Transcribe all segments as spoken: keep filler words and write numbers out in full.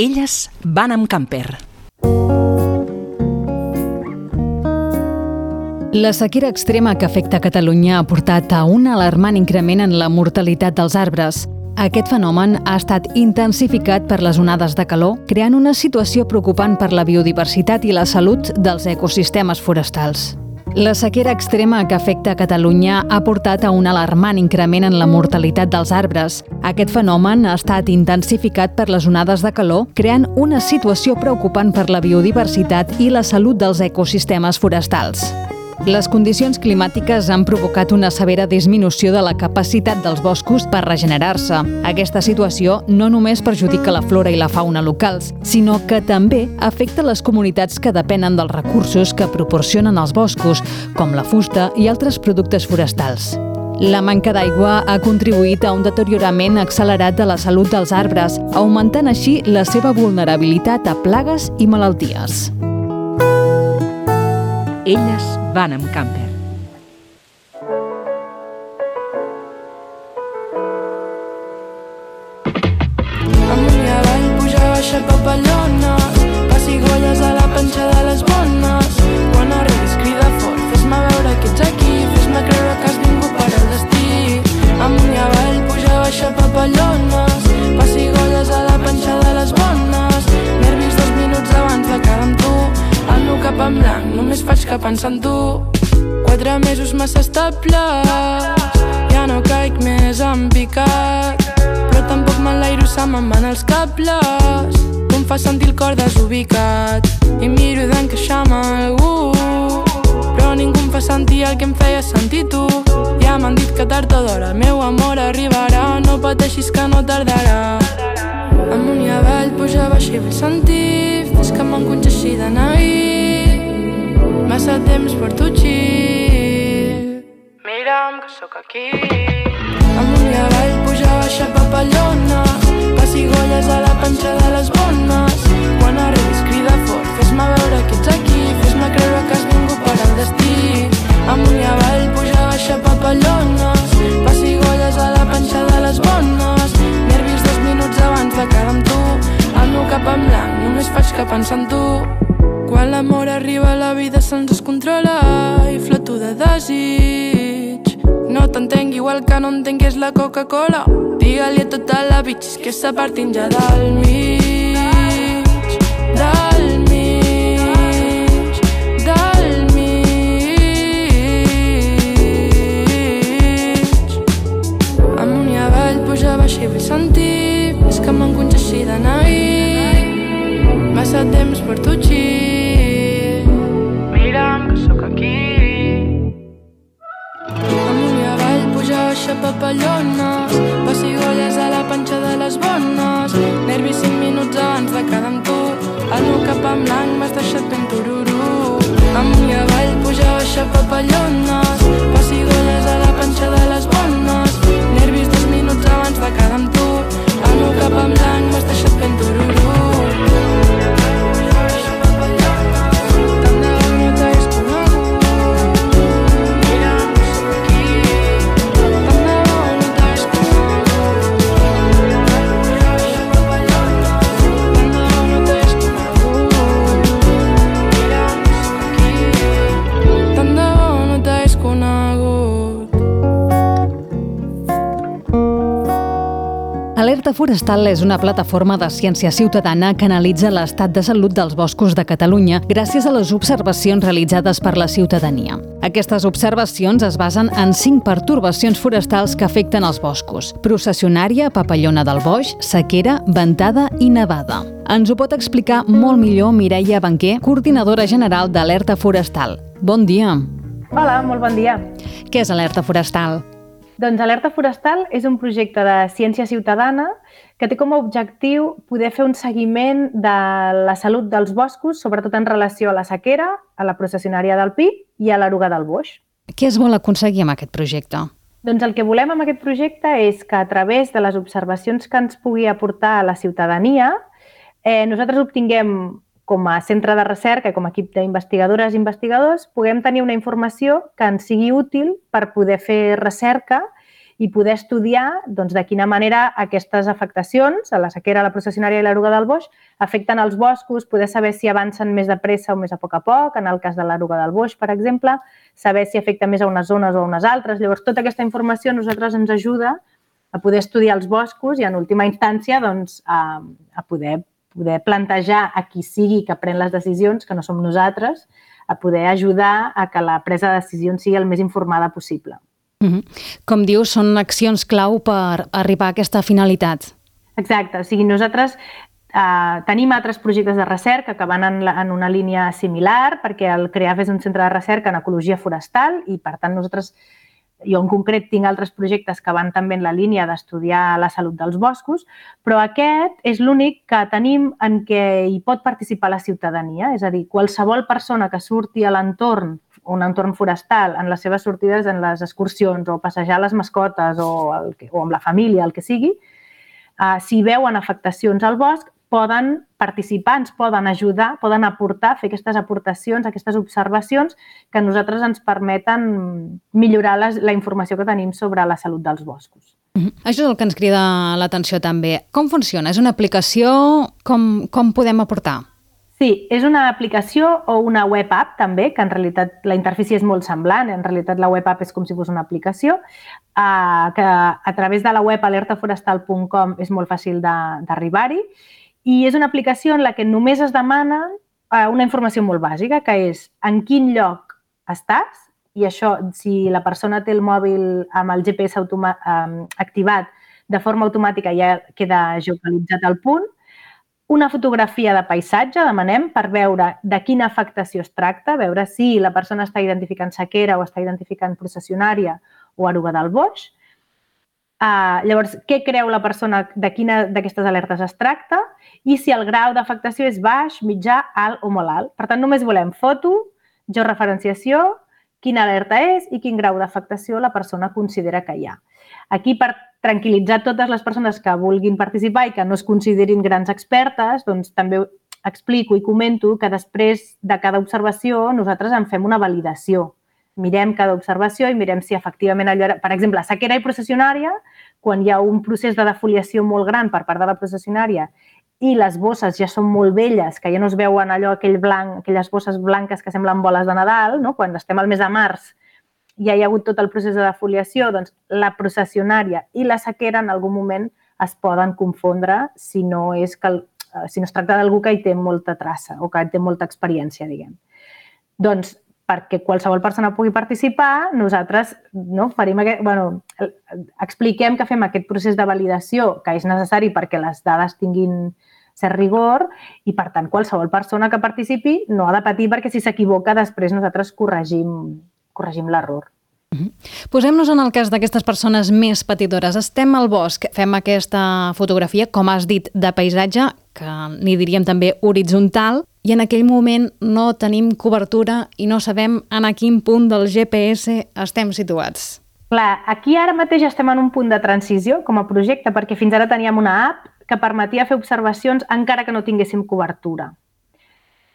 Elles van amb camper. La sequera extrema que afecta Catalunya ha portat a un alarmant increment en la mortalitat dels arbres. Aquest fenomen ha estat intensificat per les onades de calor, creant una situació preocupant per la biodiversitat i la salut dels ecosistemes forestals. La sequera extrema que afecta Catalunya ha portat a un alarmant increment en la mortalitat dels arbres. Aquest fenomen ha estat intensificat per les onades de calor, creant una situació preocupant per la biodiversitat i la salut dels ecosistemes forestals. Les condicions climàtiques han provocat una severa disminució de la capacitat dels boscos per regenerar-se. Aquesta situació no només perjudica la flora i la fauna locals, sinó que també afecta les comunitats que depenen dels recursos que proporcionen els boscos, com la fusta i altres productes forestals. La manca d'aigua ha contribuït a un deteriorament accelerat de la salut dels arbres, augmentant així la seva vulnerabilitat a plagues i malalties. Elles van amb camper. Amunt i avall, puja, baixa, papallones, pessigolles a la panxa de les bones. Quan arribis crida fort, fes-me veure que ets aquí, fes-me creure que has vingut per al destí. Amunt i avall, puja, baixa, papallones, pessigolles a la panxa de les bones. Nervis dos minuts abans de quedar amb tu, el meu cap en blanc, només faig que pensar en tu. Quatre mesos massa estables, ja no caic més en picat, però tampoc m'enlairo, se me'n van els cables. Tu em fas sentir el cor desubicat i miro d'encaixar amb algú, però ningú em fa sentir el que em feia sentir tu. Ja m'han dit que tard o d'hora el meu amor arribarà, no pateixis que no tardarà. Amunt i avall, puja, baixa i vull sentir, fes que m'enconxeixi de neguir, massa temps porto chill, mira'm que sóc aquí. Amunt i avall, puja, baixa, papallona, pessigolles a la panxa de les bones. Quan arribis crida fort, fes-me veure que ets aquí, fes-me creure que has vingut per al destí. Amunt i avall, puja, baixa, papallona, pessigolles a la panxa de les bones. Nervis dos minuts abans de quedar amb tu, el meu cap en blanc, només faig que pensar en tu. Quan l'amor arriba la vida se'ns descontrola i floto de desig. No t'entenc igual que no entenc què és la Coca-Cola. Digue-li a tota la bitxis que s'ha partint ja del mig, del mig, del mig. Amunt i avall, puja, baixa i vull sentir, és que m'enconxeixi de neguir, massa temps porto chill, mira'm que sóc aquí. Amunt i avall, puja, baixa, papallones, pessigolles a la panxa de les bones. Nervis cinc minuts abans de quedar amb tu, el meu cap en blanc m'has deixat ben tururú. Amunt i avall, puja, baixa, papallones, pessigolles a la panxa de les bones. Nervis dos minuts abans de quedar amb tu, el meu cap en blanc m'has deixat ben tururú. Alerta Forestal és una plataforma de ciència ciutadana que analitza l'estat de salut dels boscos de Catalunya gràcies a les observacions realitzades per la ciutadania. Aquestes observacions es basen en cinc pertorbacions forestals que afecten els boscos: processionària, papallona del boix, sequera, ventada i nevada. Ens ho pot explicar molt millor Mireia Banquer, coordinadora general d'Alerta Forestal. Bon dia. Hola, molt bon dia. Què és Alerta Forestal? Doncs Alerta Forestal és un projecte de ciència ciutadana que té com a objectiu poder fer un seguiment de la salut dels boscos, sobretot en relació a la sequera, a la processionària del pi i a l'eruga del boix. Què es vol aconseguir amb aquest projecte? Doncs el que volem amb aquest projecte és que a través de les observacions que ens pugui aportar a la ciutadania, eh, nosaltres obtinguem com a centre de recerca i com a equip d'investigadores i investigadors, puguem tenir una informació que ens sigui útil per poder fer recerca i poder estudiar doncs, de quina manera aquestes afectacions, a la sequera, la processionària i l'eruga del boix, afecten els boscos, poder saber si avancen més de pressa o més a poc a poc, en el cas de l'eruga del boix, per exemple, saber si afecta més a unes zones o a unes altres. Llavors, tota aquesta informació a nosaltres ens ajuda a poder estudiar els boscos i, en última instància, doncs, a, a poder, poder plantejar a qui sigui que pren les decisions, que no som nosaltres, a poder ajudar a que la presa de decisions sigui el més informada possible. Mm-hmm. Com dius, són accions clau per arribar a aquesta finalitat. Exacte. O sigui, nosaltres eh, tenim altres projectes de recerca que van en, la, en una línia similar, perquè el CREAF és un centre de recerca en ecologia forestal i, per tant, nosaltres, jo en concret tinc altres projectes que van també en la línia d'estudiar la salut dels boscos, però aquest és l'únic que tenim en què hi pot participar la ciutadania, és a dir, qualsevol persona que surti a l'entorn, un entorn forestal, en les seves sortides, en les excursions o passejar les mascotes o, el, o amb la família, el que sigui, eh, si veuen afectacions al bosc, poden participar, ens poden ajudar, poden aportar, fer aquestes aportacions, aquestes observacions que a nosaltres ens permeten millorar les, la informació que tenim sobre la salut dels boscos. Mm-hmm. Això és el que ens crida l'atenció també. Com funciona? És una aplicació? Com, com podem aportar? Sí, és una aplicació o una web app també, que en realitat la interfície és molt semblant, en realitat la web app és com si fos una aplicació, eh, que a través de la web alerta forestal punt com és molt fàcil d'arribar-hi, i és una aplicació en la que només es demana una informació molt bàsica, que és en quin lloc estàs, i això, si la persona té el mòbil amb el G P S automa- eh, activat, de forma automàtica ja queda geolocalitzat al punt, una fotografia de paisatge, demanem, per veure de quina afectació es tracta, veure si la persona està identificant sequera o està identificant processionària o eruga del boix. Uh, llavors, què creu la persona de quina d'aquestes alertes es tracta i si el grau d'afectació és baix, mitjà, alt o molt alt. Per tant, només volem foto, georreferenciació, quina alerta és i quin grau d'afectació la persona considera que hi ha. Aquí, per tranquil·litzar totes les persones que vulguin participar i que no es considerin grans expertes, doncs també explico i comento que després de cada observació nosaltres en fem una validació. Mirem cada observació i mirem si efectivament allò era... Per exemple, sequera i processionària, quan hi ha un procés de defoliació molt gran per part de la processionària i les bosses ja són molt velles, que ja no es veuen allò, aquell blanc, aquelles bosses blanques que semblen boles de Nadal, no? Quan estem al mes de març ja hi ha hagut tot el procés de defoliació, doncs la processionària i la sequera en algun moment es poden confondre si no, és que, si no es tracta d'algú que hi té molta traça o que hi té molta experiència, diguem. Doncs, perquè qualsevol persona pugui participar, nosaltres no, farim aquest, bueno, expliquem que fem aquest procés de validació que és necessari perquè les dades tinguin cert rigor i, per tant, qualsevol persona que participi no ha de patir perquè si s'equivoca després nosaltres corregim, corregim l'error. Posem-nos en el cas d'aquestes persones més patidores. Estem al bosc, fem aquesta fotografia, com has dit, de paisatge, que n'hi diríem també horitzontal, i en aquell moment no tenim cobertura i no sabem en a quin punt del G P S estem situats. Clar, aquí ara mateix estem en un punt de transició com a projecte, perquè fins ara teníem una app que permetia fer observacions encara que no tinguéssim cobertura.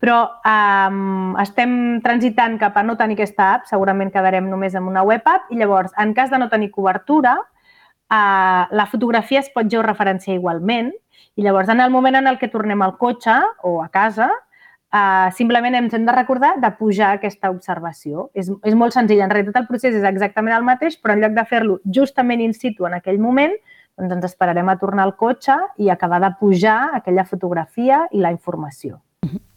Però um, estem transitant cap a no tenir aquesta app, segurament quedarem només amb una web app, i llavors, en cas de no tenir cobertura, uh, la fotografia es pot georreferenciar igualment, i llavors en el moment en el que tornem al cotxe o a casa, uh, simplement ens hem de recordar de pujar aquesta observació. És, és molt senzill, en realitat el procés és exactament el mateix, però en lloc de fer-lo justament in situ en aquell moment, doncs ens esperarem a tornar al cotxe i acabar de pujar aquella fotografia i la informació.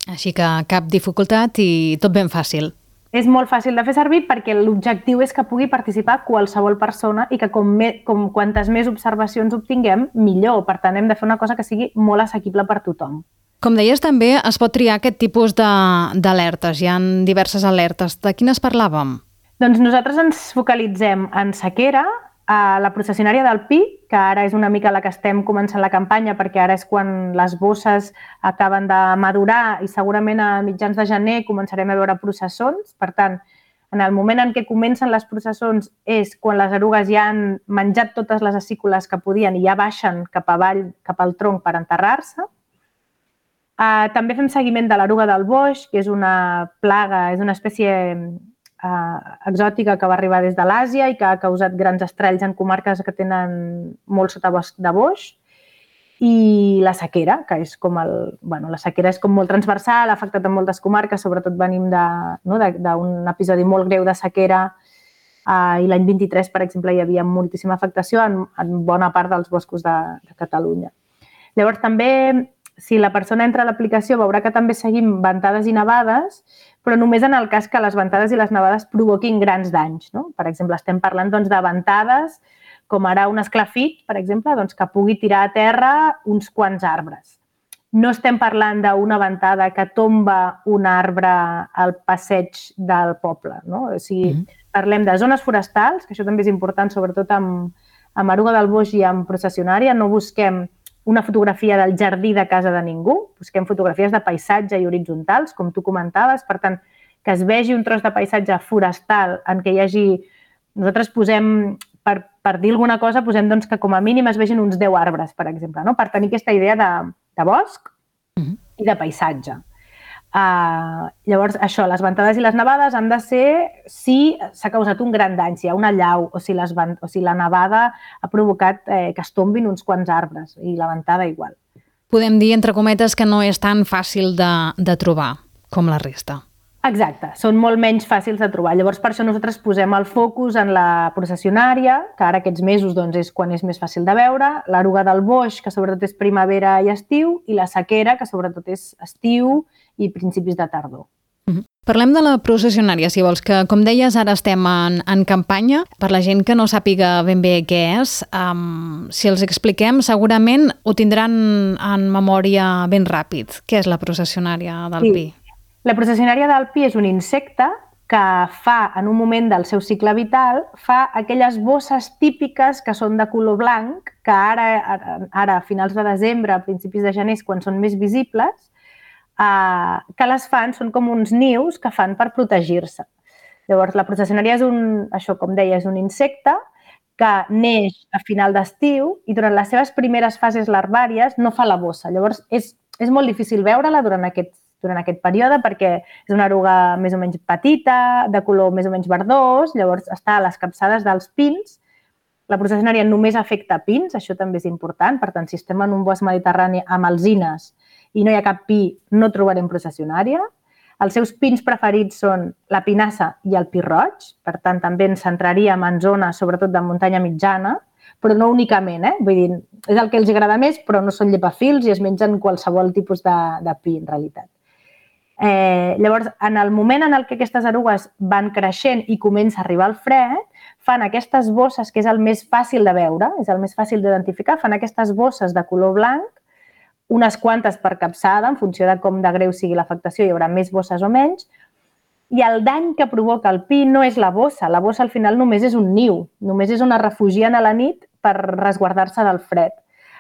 Així que cap dificultat i tot ben fàcil. És molt fàcil de fer servir perquè l'objectiu és que pugui participar qualsevol persona i que com, me, com quantes més observacions obtinguem, millor. Per tant, hem de fer una cosa que sigui molt assequible per tothom. Com deies, també es pot triar aquest tipus d'alertes. Hi ha diverses alertes. De quines parlàvem? Doncs nosaltres ens focalitzem en sequera, a la processionària del Pi, que ara és una mica la que estem començant la campanya perquè ara és quan les bosses acaben de madurar i segurament a mitjans de gener començarem a veure processons. Per tant, en el moment en què comencen les processons és quan les erugues ja han menjat totes les acícules que podien i ja baixen cap avall, cap al tronc per enterrar-se. Uh, també fem seguiment de l'eruga del boix, que és una plaga, és una espècie eh, exòtica que va arribar des de l'Àsia i que ha causat grans estralls en comarques que tenen molt sotabosc de boix. I la sequera, que és com el... Bueno, la sequera és com molt transversal, ha afectat en moltes comarques, sobretot venim d'un no, episodi molt greu de sequera eh, i l'any vint-i-tres, per exemple, hi havia moltíssima afectació en, en bona part dels boscos de, de Catalunya. Llavors, també, si la persona entra a l'aplicació, veurà que també seguim ventades i nevades, però només en el cas que les ventades i les nevades provoquin grans danys. No? Per exemple, estem parlant doncs, de ventades com ara un esclafit, per exemple, doncs, que pugui tirar a terra uns quants arbres. No estem parlant d'una ventada que tomba un arbre al passeig del poble. No? O sigui, mm-hmm. Parlem de zones forestals, que això també és important, sobretot amb, amb eruga del boix i amb processionària. No busquem una fotografia del jardí de casa de ningú, busquem fotografies de paisatge i horitzontals, com tu comentaves. Per tant, que es vegi un tros de paisatge forestal en què hi hagi... Nosaltres posem... Per, per dir alguna cosa, posem doncs, que com a mínim es vegin uns deu arbres, per exemple, no? Per tenir aquesta idea de, de bosc uh-huh. i de paisatge. Uh, llavors, això, les ventades i les nevades han de ser si s'ha causat un gran dany, si hi ha una llau o si, les, o si la nevada ha provocat eh, que es tombin uns quants arbres i la ventada igual. Podem dir, entre cometes, que no és tan fàcil de, de trobar com la resta. Exacte, són molt menys fàcils de trobar. Llavors, per això nosaltres posem el focus en la processionària, que ara aquests mesos doncs, és quan és més fàcil de veure, l'eruga del boix, que sobretot és primavera i estiu, i la sequera, que sobretot és estiu i principis de tardor. Mm-hmm. Parlem de la processionària, si vols, que com deies ara estem en, en campanya. Per la gent que no sàpiga ben bé què és, um, si els expliquem segurament ho tindran en memòria ben ràpid. Què és la processionària del sí. pi? La processionària del pi és un insecte que fa, en un moment del seu cicle vital, fa aquelles bosses típiques que són de color blanc, que ara, ara a finals de desembre, a principis de gener, quan són més visibles, eh, que les fan, són com uns nius que fan per protegir-se. Llavors, la processionària és un, això com deia, és un insecte que neix a final d'estiu i durant les seves primeres fases larvàries no fa la bossa. Llavors, és, és molt difícil veure-la durant aquest durant aquest període perquè és una eruga més o menys petita, de color més o menys verdós, llavors està a les capçades dels pins. La processionària només afecta pins, això també és important, per tant, si estem en un bosc mediterrani amb alzines i no hi ha cap pi, no trobarem processionària. Els seus pins preferits són la pinassa i el pi roig, per tant, també ens centraríem en zones, sobretot de muntanya mitjana, però no únicament, eh? Vull dir, és el que els agrada més, però no són llepafils i es mengen qualsevol tipus de, de pi, en realitat. Eh, llavors, en el moment en el que aquestes erugues van creixent i comença a arribar el fred, fan aquestes bosses, que és el més fàcil de veure, és el més fàcil d'identificar, fan aquestes bosses de color blanc, unes quantes per capçada, en funció de com de greu sigui l'afectació, hi haurà més bosses o menys, i el dany que provoca el pi no és la bossa, la bossa al final només és un niu, només és on es refugien a la nit per resguardar-se del fred.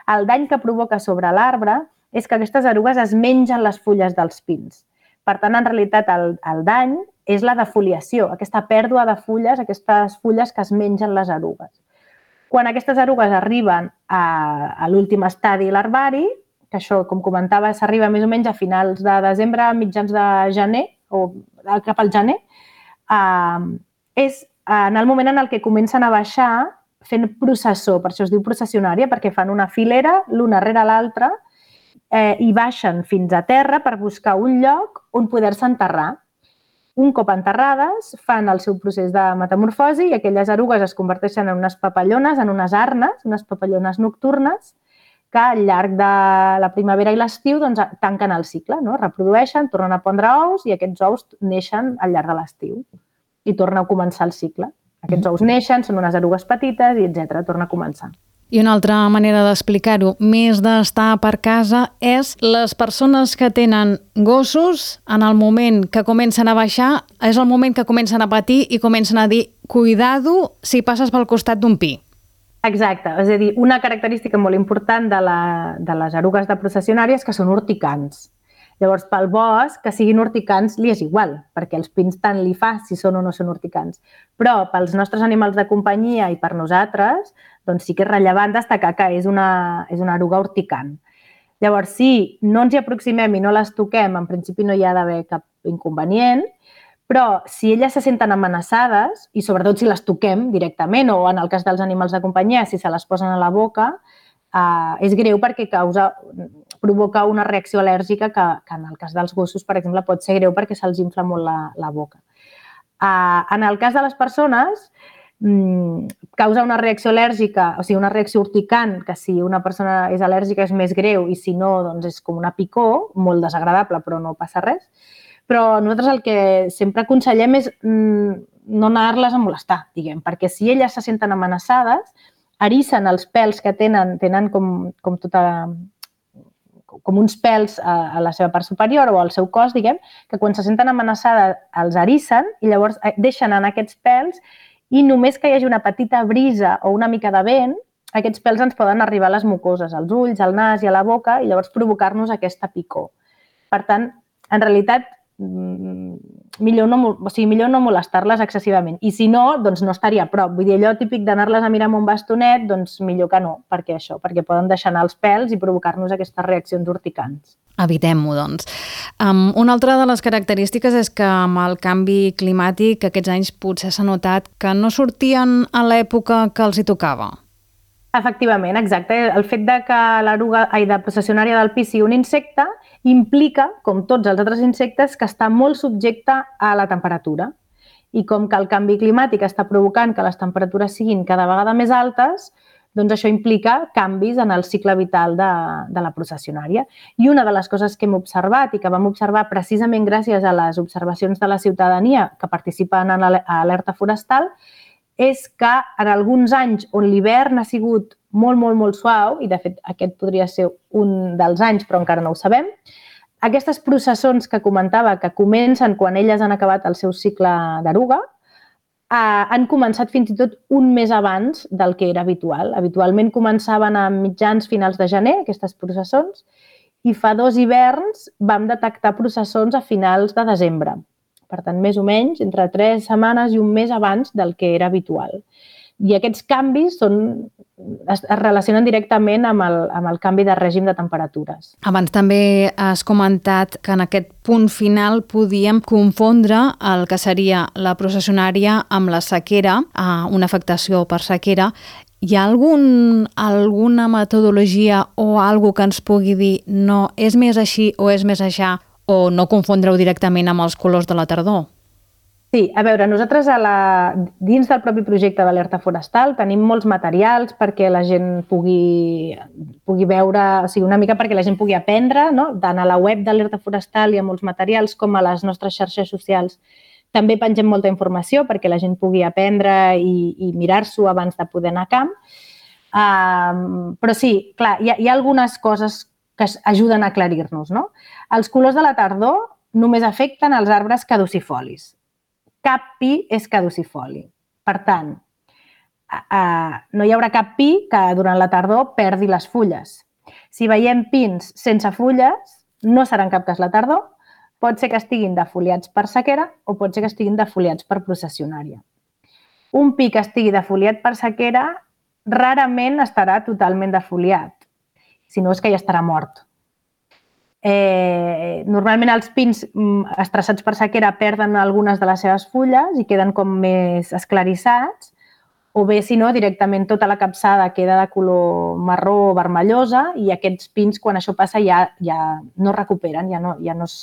El dany que provoca sobre l'arbre és que aquestes erugues es mengen les fulles dels pins. Per tant, en realitat, el, el dany és la defoliació, aquesta pèrdua de fulles, aquestes fulles que es mengen les erugues. Quan aquestes erugues arriben a, a l'últim estadi larvari, que això, com comentava, s'arriba més o menys a finals de desembre, mitjans de gener, o cap al gener, eh, és en el moment en el que comencen a baixar fent processó, per això es diu processionària, perquè fan una filera l'una rere l'altra, Eh, i baixen fins a terra per buscar un lloc on poder-se enterrar. Un cop enterrades, fan el seu procés de metamorfosi i aquelles erugues es converteixen en unes papallones, en unes arnes, unes papallones nocturnes, que al llarg de la primavera i l'estiu doncs, tanquen el cicle, no? Reprodueixen, tornen a pondre ous i aquests ous neixen al llarg de l'estiu i torna a començar el cicle. Aquests ous neixen, són unes erugues petites i etcètera, torna a començar. I una altra manera d'explicar-ho, més d'estar per casa, és les persones que tenen gossos, en el moment que comencen a baixar, és el moment que comencen a patir i comencen a dir cuidado si passes pel costat d'un pi. Exacte, és a dir, una característica molt important de, la, de les erugues de processionàries que són urticants. Llavors, pel bosc, que siguin urticants li és igual, perquè els pins tant li fa si són o no són urticants. Però pels nostres animals de companyia i per nosaltres, doncs sí que és rellevant destacar que és una, és una eruga urticant. Llavors, si no ens hi aproximem i no les toquem, en principi no hi ha d'haver cap inconvenient, Però si elles se senten amenaçades, i sobretot si les toquem directament, o en el cas dels animals de companyia, si se les posen a la boca, eh, és greu perquè causa, provoca una reacció al·lèrgica que, que en el cas dels gossos, per exemple, pot ser greu perquè se'ls infla molt la, la boca. Eh, en el cas de les persones, causa una reacció al·lèrgica, o sigui, una reacció urticant, que si una persona és al·lèrgica és més greu i si no, doncs és com una picor, molt desagradable, però no passa res. Però nosaltres el que sempre aconsellem és no anar-les a molestar, diguem, perquè si elles se senten amenaçades, erissen els pèls que tenen, tenen com, com tota com uns pèls a, a la seva part superior o al seu cos, diguem, que quan se senten amenaçades els erissen i llavors deixen anar aquests pèls. I només que hi hagi una petita brisa o una mica de vent, aquests pèls ens poden arribar a les mucoses, als ulls, al nas i a la boca, i llavors provocar-nos aquesta picor. Per tant, en realitat, millor no, o sigui, millor no molestar-les excessivament. I si no, doncs no estaria a prop. Vull dir, allò típic d'anar-les a mirar amb un bastonet, doncs millor que no, perquè això, perquè poden deixar anar els pèls i provocar-nos aquestes reaccions urticants. Evitem-ho, doncs. Um, una altra de les característiques és que amb el canvi climàtic aquests anys potser s'ha notat que no sortien a l'època que els hi tocava. Efectivament, exacte. El fet de que l'eruga de processionària del pi sigui un insecte implica, com tots els altres insectes, que està molt subjecte a la temperatura. I com que el canvi climàtic està provocant que les temperatures siguin cada vegada més altes, doncs això implica canvis en el cicle vital de, de la processionària. I una de les coses que hem observat i que vam observar precisament gràcies a les observacions de la ciutadania que participen en l'alerta forestal és que en alguns anys on l'hivern ha sigut molt, molt, molt suau, i de fet aquest podria ser un dels anys, però encara no ho sabem, aquestes processons que comentava que comencen quan elles han acabat el seu cicle d'eruga, han començat fins i tot un mes abans del que era habitual. Habitualment començaven a mitjans finals de gener, aquestes processons, i fa dos hiverns vam detectar processons a finals de desembre. Per tant, més o menys, entre tres setmanes i un mes abans del que era habitual. I aquests canvis són, es, es relacionen directament amb el, amb el canvi de règim de temperatures. Abans també has comentat que en aquest punt final podíem confondre el que seria la processionària amb la sequera, una afectació per sequera. Hi ha algun, alguna metodologia o alguna que ens pugui dir no, és més així o és més aixà, o no confondre-ho directament amb els colors de la tardor? Sí, a veure, nosaltres a la, dins del propi projecte d'Alerta Forestal tenim molts materials perquè la gent pugui, pugui veure, o sigui, una mica perquè la gent pugui aprendre, no? Tant a la web d'Alerta Forestal hi ha molts materials com a les nostres xarxes socials. També pengem molta informació perquè la gent pugui aprendre i, i mirar-s'ho abans de poder anar a camp. Um, però sí, clar, hi ha, hi ha algunes coses que ajuden a aclarir-nos, no? Els colors de la tardor només afecten els arbres caducifolis. Cap pi és caducifoli. Per tant, no hi haurà cap pi que durant la tardor perdi les fulles. Si veiem pins sense fulles, no serà en cap cas la tardor. Pot ser que estiguin defoliats per sequera o pot ser que estiguin defoliats per processionària. Un pi que estigui defoliat per sequera rarament estarà totalment defoliat. Si no és que ja estarà mort. Eh, normalment els pins estressats per sequera perden algunes de les seves fulles i queden com més esclarissats, o bé, si no, directament tota la capçada queda de color marró o vermellosa i aquests pins, quan això passa, ja, ja no es recuperen, ja, no, ja no es,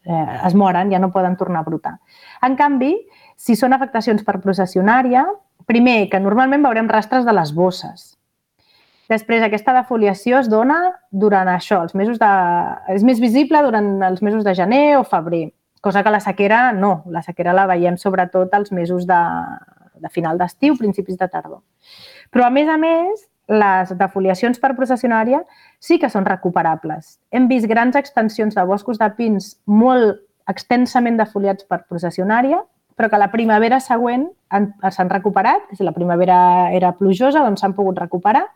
eh, es moren, ja no poden tornar a brotar. En canvi, si són afectacions per processionària, primer, que normalment veurem rastres de les bosses. Després, aquesta defoliació es dona durant això, els mesos de... és més visible durant els mesos de gener o febrer, cosa que la sequera no. La sequera la veiem sobretot als mesos de, de final d'estiu, principis de tardor. Però, a més a més, les defoliacions per processionària sí que són recuperables. Hem vist grans extensions de boscos de pins molt extensament defoliats per processionària, però que la primavera següent s'han recuperat, si la primavera era plujosa, doncs s'han pogut recuperar,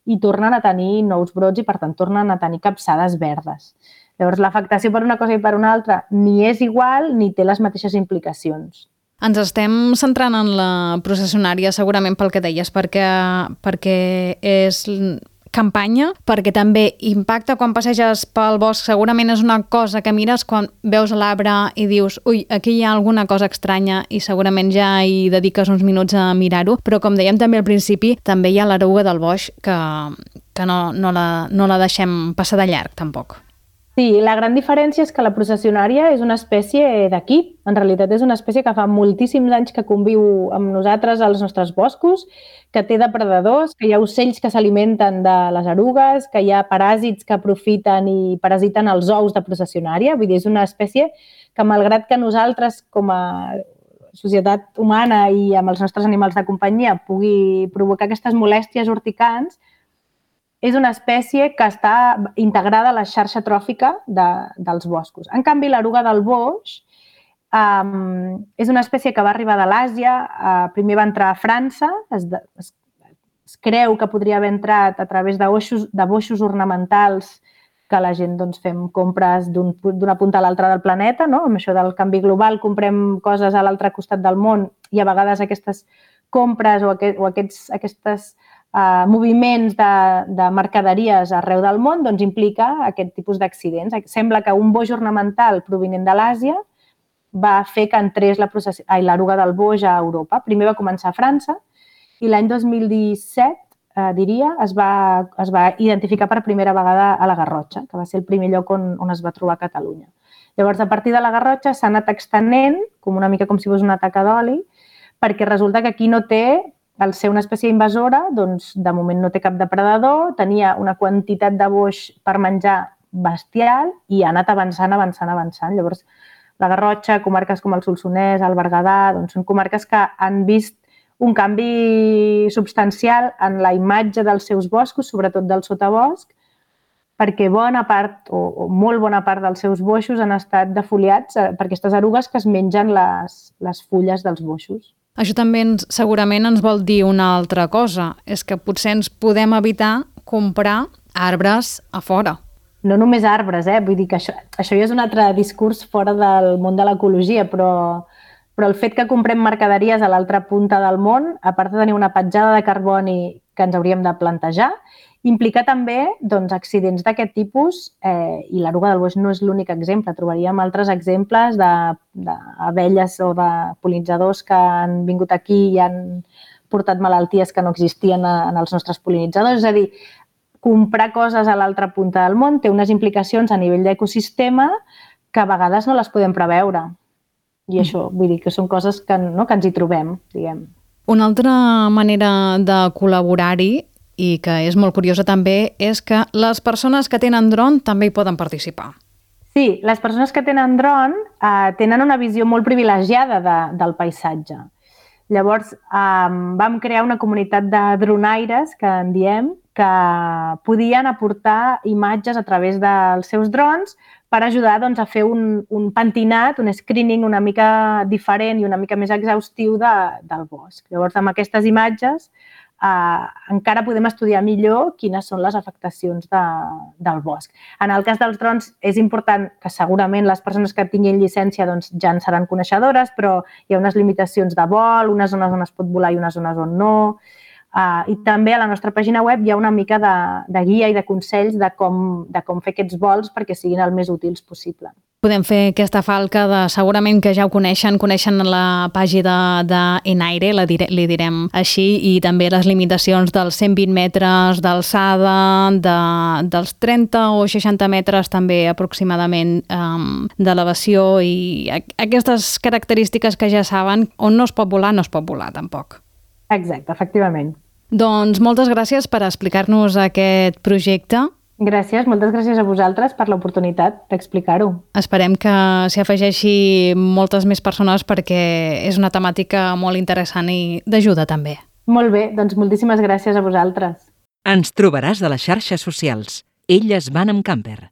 i tornen a tenir nous brots i, per tant, tornen a tenir capçades verdes. Llavors, l'afectació per una cosa i per una altra ni és igual ni té les mateixes implicacions. Ens estem centrant en la processionària segurament pel que deies, perquè, perquè és campanya, perquè també impacta quan passeges pel bosc. Segurament és una cosa que mires quan veus l'arbre i dius ui, aquí hi ha alguna cosa estranya i segurament ja hi dediques uns minuts a mirar-ho, però com dèiem també al principi, també hi ha l'eruga del boix que, que no, no, la, no la deixem passar de llarg tampoc. Sí, la gran diferència és que la processionària és una espècie d'aquí. En realitat és una espècie que fa moltíssims anys que conviu amb nosaltres als nostres boscos, que té depredadors, que hi ha ocells que s'alimenten de les erugues, que hi ha paràsits que aprofiten i parasiten els ous de processionària. Vull dir, és una espècie que, malgrat que nosaltres, com a societat humana i amb els nostres animals de companyia, pugui provocar aquestes molèsties urticants, és una espècie que està integrada a la xarxa tròfica de, dels boscos. En canvi, l'eruga del boix um, és una espècie que va arribar de l'Àsia, uh, primer va entrar a França, es, es, es creu que podria haver entrat a través de, oixos, de boixos ornamentals que la gent doncs, fem compres d'una un, punta a l'altra del planeta, no? Amb això del canvi global comprem coses a l'altre costat del món i a vegades aquestes compres o, aquest, o aquests, aquestes Uh, moviments de, de mercaderies arreu del món doncs, implica aquest tipus d'accidents. Sembla que un boix ornamental provinent de l'Àsia va fer que entrés la processi... Ai, l'eruga del boix a Europa. Primer va començar a França i l'any dos mil disset, eh, diria, es va, es va identificar per primera vegada a la Garrotxa, que va ser el primer lloc on, on es va trobar a Catalunya. Llavors, a partir de la Garrotxa s'ha anat extenent, com una mica com si fos una taca d'oli, perquè resulta que aquí no té, al ser una espècie invasora, doncs, de moment no té cap depredador, tenia una quantitat de boix per menjar bestial i ha anat avançant, avançant, avançant. Llavors, la Garrotxa, comarques com el Solsonès, el Berguedà, doncs són comarques que han vist un canvi substancial en la imatge dels seus boscos, sobretot del sotabosc, perquè bona part, o, o molt bona part dels seus boixos han estat defoliats per aquestes erugues que es mengen les, les fulles dels boixos. Això també ens, segurament ens vol dir una altra cosa, és que potser ens podem evitar comprar arbres a fora. No només arbres, eh? Vull dir que això, això ja és un altre discurs fora del món de l'ecologia, però, però el fet que comprem mercaderies a l'altra punta del món, a part de tenir una petjada de carboni que ens hauríem de plantejar, implica també doncs, accidents d'aquest tipus, eh, i l'eruga del boix no és l'únic exemple. Trobaríem altres exemples d'abelles o de pol·linitzadors que han vingut aquí i han portat malalties que no existien en els nostres pol·linitzadors. És a dir, comprar coses a l'altra punta del món té unes implicacions a nivell d'ecosistema que a vegades no les podem preveure. I això, vull dir que són coses que, no, que ens hi trobem, diguem. Una altra manera de col·laborar-hi i que és molt curiosa també, és que les persones que tenen dron també hi poden participar. Sí, les persones que tenen dron eh, tenen una visió molt privilegiada de, del paisatge. Llavors, eh, vam crear una comunitat de dronaires, que en diem, que podien aportar imatges a través dels seus drons per ajudar doncs, a fer un, un pentinat, un screening una mica diferent i una mica més exhaustiu de, del bosc. Llavors, amb aquestes imatges, Uh, encara podem estudiar millor quines són les afectacions de, del bosc. En el cas dels drons és important que segurament les persones que tinguin llicència doncs, ja en seran coneixedores, però hi ha unes limitacions de vol, unes zones on es pot volar i unes zones on no. Uh, I també a la nostra pàgina web hi ha una mica de, de guia i de consells de com, de com fer aquests vols perquè siguin el més útils possible. Podem fer aquesta falca de, segurament que ja ho coneixen, coneixen la pàgina d'Enaire, la dire, li direm així, i també les limitacions dels cent vint metres d'alçada, de, dels trenta o seixanta metres també aproximadament um, d'elevació i aquestes característiques que ja saben, on no es pot volar, no es pot volar tampoc. Exacte, efectivament. Doncs moltes gràcies per explicar-nos aquest projecte. Gràcies, moltes gràcies a vosaltres per l'oportunitat d'explicar-ho. Esperem que s'hi afegeixi moltes més persones perquè és una temàtica molt interessant i d'ajuda també. Molt bé, doncs moltíssimes gràcies a vosaltres. Ens trobaràs a les xarxes socials. Elles van amb camper.